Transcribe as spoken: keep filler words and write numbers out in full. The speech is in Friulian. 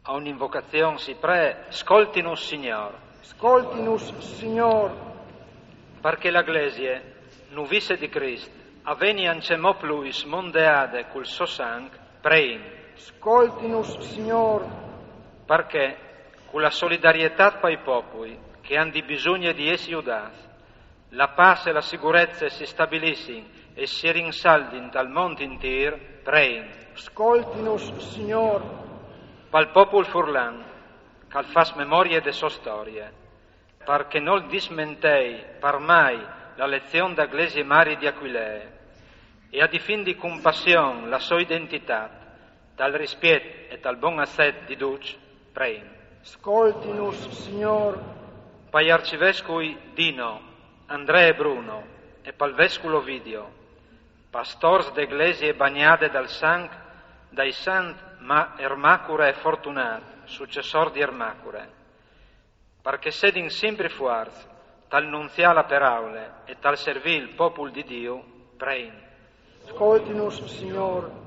A un'invocazion si pree: scoltinus, Signor. Scoltinus, Signor. Parché la Glesie, nuvisse di Crist, a veni ancjemò plui smondeade cul so sanc, prein. Scoltinus, Signor. Parché, cu la solidarietât pai popui, che a àn di bisugne di jessi judâts, la pâs e la sigurezze si stabilissin e si rinsaldin tal mont intîr, prein. Scoltinus, Signor. Pal popul furlan, che al fâs memorie de sô storie, parché nol dismentei par mai la lezion da Glesie Mari di Aquilee, e a difindi cun passion la sô identitât, tal rispiet e tal bon acet di ducj, prein. Scoltinus, Signor. Pai arcivescui Dino, Andree e Bruno, e pal vescul Ovidio, pastôrs de Glesie bagnade dal sanc dai sants Ma-, Ermacure e Fortunât, sucessôrs di Ermacure, parché sedin simpri fuarts tal nunziâ la peraule e tal servî il popul di Diu, prein. Scoltinus, Signor.